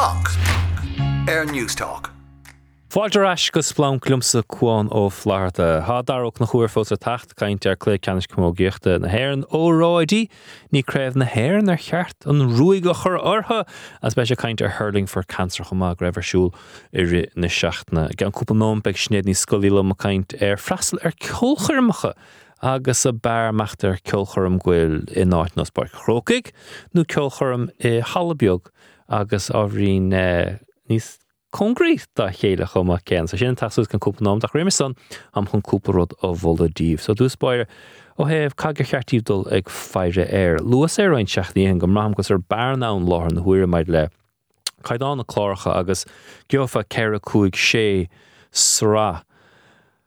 Splanc ar Newstalk. Fáilte ar ais go Splanc liomsa Cuán Ó Flatharta. Tá Dara Ó Conchúir fós le teacht, caint ar Cluiche Ceannais Camógaíochta na hÉireann, óráidí, ní Craobh na hÉireann ar cheart an ruaig a chur orthu! Agus beidh sé ag caint ar Hurling for Cancer chomh maith, go raibh ar siúl i rith na seachtaine. I gceann cúpla nóiméad beidh Sinéad Ní Scolaí liom ag caint ar freastal ar ceolchoirmeacha agus ab fhearr imeacht ar ceolchoirm go bhfuil in áit ar nós Páirc an Chrócaigh nó ceolchoirm i halla beag agus ábhairín níos cóngaraí dá chéile chomh maith céanna. So sin ag teacht suas i gceann cúpla nóiméad ach roimhe san táim chun cúpla rud a mholadh daoibh. So i dtús báire ó thaobh cad gur cheart daoibh dul ag faire air. Luas é roinnt seachtainí ó shin go mbraithim go bhfuil sórt bearna ann láthair na huaire maidir le caighdeán na cláracha agus gheofá 4, 5, 6 sraith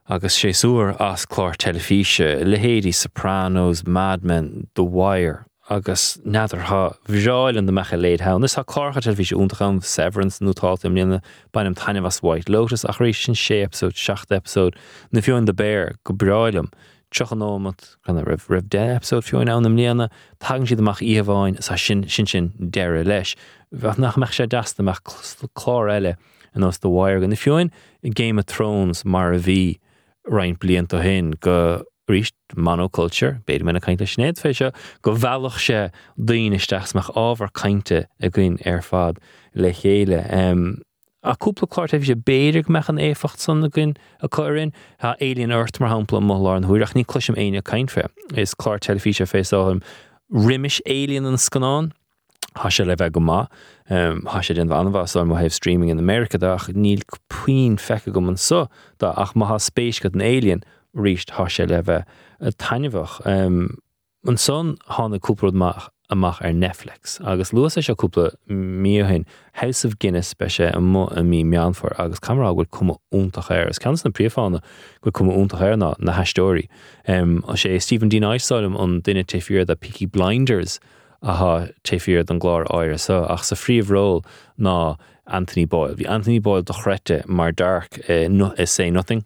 agus séasúr as clár teilifíse, leithéidí Sopranos, Mad Men, The Wire agus n'fheadar, ba bhreá liom dá mbeadh a leithéid ann. Is tá cláracha teilifíse iontach ann, Severance nótálta i mbliana, bainim taitneamh as White Lotus ach arís sin 6 eipeasóid, 7 eipeasóid, nó fiú amháin The Bear, go breá liom. 30 nóiméad, an raibh 10 eipeasóid fiú amháin ann i mbliana, tagann siad amach oíche amháin, is sin, sin sin deireadh leis. Bheadh, nach mbeadh sé deas dá mbeadh clár eile ar nós The Wire againn, nó fiú amháin Game of Thrones mar a bhí roinnt blianta ó shin, go, arís, monoculture, b'fhéidir go mbeinn ag caint le Sinéad fé seo, go mheallfadh sé daoine isteach is mbeadh ábhar cainte againn ar fad le chéile. Ach cúpla clár teilifíse, b'fhéidir go mbeadh an éifeacht san againn acu orainn. Tá Alien Earth, mar shampla, amuigh i láthair na huaire, ach ní cloisim éinne ag caint fé. Is clár teilifíse fé is dóigh liom roimis Alien an scannán. Tá sé le bheith go maith. Tá sé ag déanamh an-mhaith is dóigh liom ó thaobh streaming in America de, ach níl puinn feicthe agam anso de. Ach má tá spéis agat in Alien, arís, tá sé le bheith taitneamhach. Ansan tháinig cúpla rud maith amach ar Netflix agus luas é seo cúpla mí ó shin, House of Guinness, beidh sé amuigh i mí Meán Fómhair agus caithfidh mé a rá go bhfuil cuma iontach air. Is ceann de na príomhfháthanna go bhfuil cuma iontach air ná na haisteoirí. Is é Stephen D. Knight is dóigh liom an duine taobh thiar de Peaky Blinders atá taobh thiar den gclár áirithe seo ach sa phríomhról ná Anthony Boyle. Bhí Anthony Boyle dochreidte mar Dark i Say Nothing.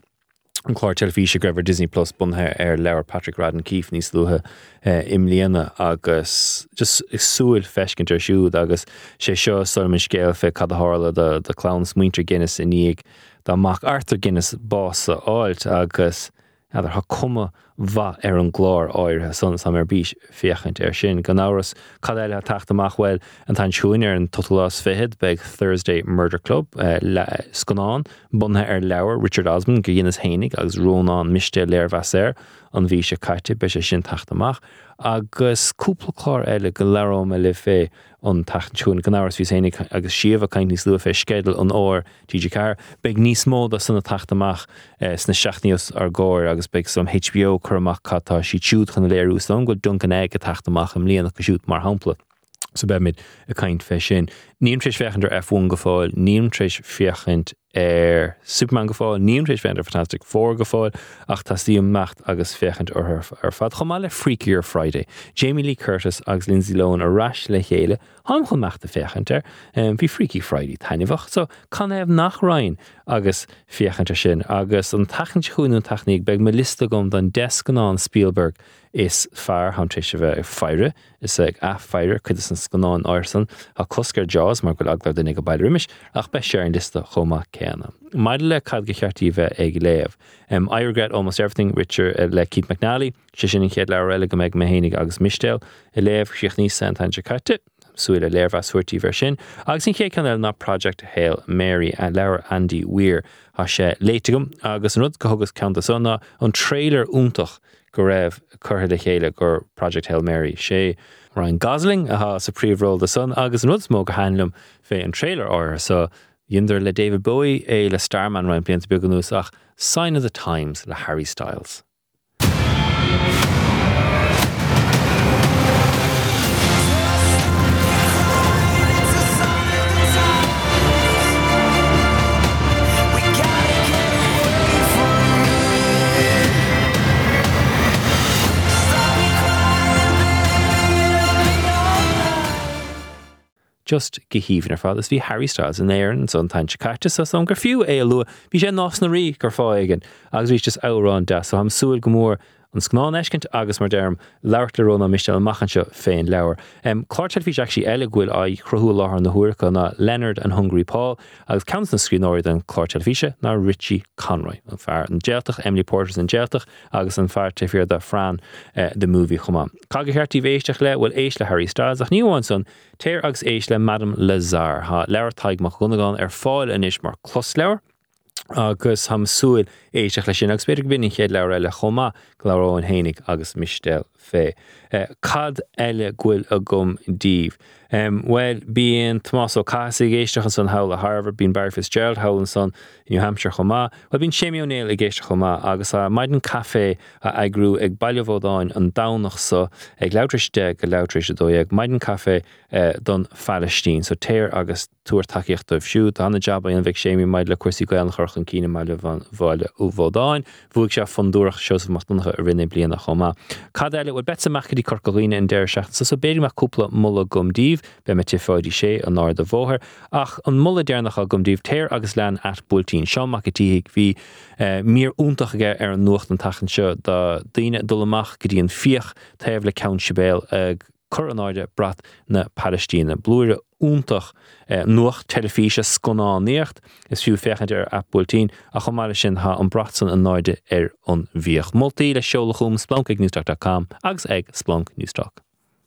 an clár teilifíse go raibh ar Disney Plus bunaithe ar leabhar Patrick Radden Keefe níos luaithe i mbliana agus just ag súil feiscint air siúd agus sé seo is dóigh liom an scéal fé cad a tharla do do clann is muintir Guinness i ndiaidh dá mac Arthur Guinness bás a fháilt agus n'fheadar tá cuma mhaith ar an gclár áirithe san is táim ar bís féachaint air sin. Gan amhras, cad eile atá ag teacht amach? Bhuel, an tseachtain seo chugainn ar an t-ochtú lá is fichead beidh Thursday Murder Club, scannán bunaithe ar leabhar Richard Osman gur dheineas fhéinig agus Rónán Mistéil léirmheas air an mhí seo caite, beidh sé sin ag teacht amach. Agus cúpla clár eile go labhróidh mé libh fé an tseachtain seo chugainn. Gan amhras, bhíos fhéinig agus Síomha ag caint níos luaithe fé sceideal an fhómhair TG4. Beidh níos mó de san ag teacht amach sna seachtainí os ár gcomhair agus beidh some HBO ag cur amach cad tá siad siúd chun a léiriú. Is dóigh liom go bhfuil Dunk and Egg ag teacht amach i mbliana acu siúd, mar shampla. So beimid ag caint fé sin. Nílim tar éis féachaint ar F1 go fóill, nílim tar éis féachaint ar Superman go fóill, nílim tar éis féachaint ar Fantastic Four go fóill, ach teastaíonn imeacht agus féachaint orthu ar fad, chomh maith le Freakier Friday. Jamie Lee Curtis agus Lindsay Lohan ar ais le chéile Táim chun imeacht ag féachaint air. Bhí Freaky Friday taitneamhach, so canathaobh nach raghainn agus féachaint air sin. Agus an tseachtain seo chugainn nó an tseachtain ina dhiaidh, beidh mo liosta agam don 10 scannán Spielberg is fearr. Táim tar éis a bheith ag faire is ag athfhaire cuid de na scannáin áirithe san. Tá cosc ar Jaws mar go bhfuil eagla ar dhuine ag baile roimis, ach beidh sé ar an liosta chomh maith céanna. Maidir le cad gur cheart daoibh bheith ag léamh, I Regret Almost Everything, Richard le Keith McNally. Sé sin an chéad leabhar eile go mbeidh mé fhéinig agus Mistéal ag léamh. Chríochnaíos é an tseachtain seo caite. Súil le léirmheas a thabhairt daoibh air sin. Agus an chéad cheann eile ná Project Hail Mary, leabhar Andy Weir. Tá sé léite agam agus an rud go thugas ceann de san ná an trailer iontach go raibh curtha le chéile do Project Hail Mary. Sé Ryan Gosling atá sa príomhról de san agus an rud is mó gur thaitin liom fé an trailer áirithe so, dheineadar le David Bowie é le Starman roinnt blianta beaga anuas ach Sign of the Times le Harry Styles. Just go haoibhinn ar fad. Is bhí Harry Styles in Éirinn ansan an tseachtain seo caite so is dóigh liom gur fiú é a lua. Bhí sé i Nás na Rí gur fáth éigin agus bhí just amhrán deas so táim ag súil go mór. an scannán a fheiscint agus, mar deirim, labhairt le Rónán Mistéil amach anseo fén leabhar. Clár teilifíse actually eile go bhfuil á chruthú i láthair na huaire acu ná Leonard and Hungry Paul agus ceann de na scríbhneoirí den chlár teilifíse ná Richie Conroy, an fear An Jailtach, Emily Porter's An Jailtach agus an fear taobh thiar de Fran the Movie chomh maith. Cad gur cheart daoibh éisteacht le? Bhuel éist le Harry Styles ach ní amháin san, téir agus éist le Madame Lazare. Tá leabhar Tadhg Mac Dhonnagáin ar fáil anois mar closleabhar. agus táim ag súil éisteacht leis sin agus b'fhéidir go b'in an chéad leabhar eile chomh maith go labhróinn fhéinig agus Mistéal fé. Cad eile go bhfuil agam daoibh? Bhuel, bíonn Tomás Ó Cathasaigh ag éisteacht ansan thall i Harvard, bíonn Barry Fitzgerald thall ansan i New Hampshire chomh maith. Bhuel, bíonn Séimí Ó Néill ag éisteacht chomh maith agus tá maidin caife á eagrú ag Baile Bhodáin an Domhnach so ag leathuair tar éis 10 go leathuair tar éis 12, maidin caife don Phalaistín. So téir agus. tabhair tacaíocht dóibh siúd. Tá ana-jab á dhéanamh ag Séimí maidir le cúrsaí Gaelainne a chur chun cinn i mBaile Bhaile Bhodáin. Bhuaigh sé Fondúireacht Seosamh Mac Donncha i rith na bliana chomh maith. Cad eile? Bhuel, beadsa amach go dtí Corca Dhuibhne an deireadh seachtaine seo, so b'fhéidir go mbeadh cúpla moladh agam daoibh. Beidh mé tigh Pháidí Sé an Arda Bhóthair. Ach an moladh deireanach agam daoibh, téir agus lean at Buailtín. Seán Mac a' tSíthigh, bhí mír iontach aige ar an nuacht an tseachtain seo do daoine ag dul amach go dtí an Fiach taobh le Ceann Sibéal ag cur in airde brat na Palaistíne. Blúire iontach nuacht teilifíse, scannánaíocht, is fiú féachaint ar at Buailtín, ach chomh maith leis sin tá an brat san in airde ar an bhFiach. Moltaí le seoladh chugam, splanc ag newstalk dot com agus ag Splanc Newstalk.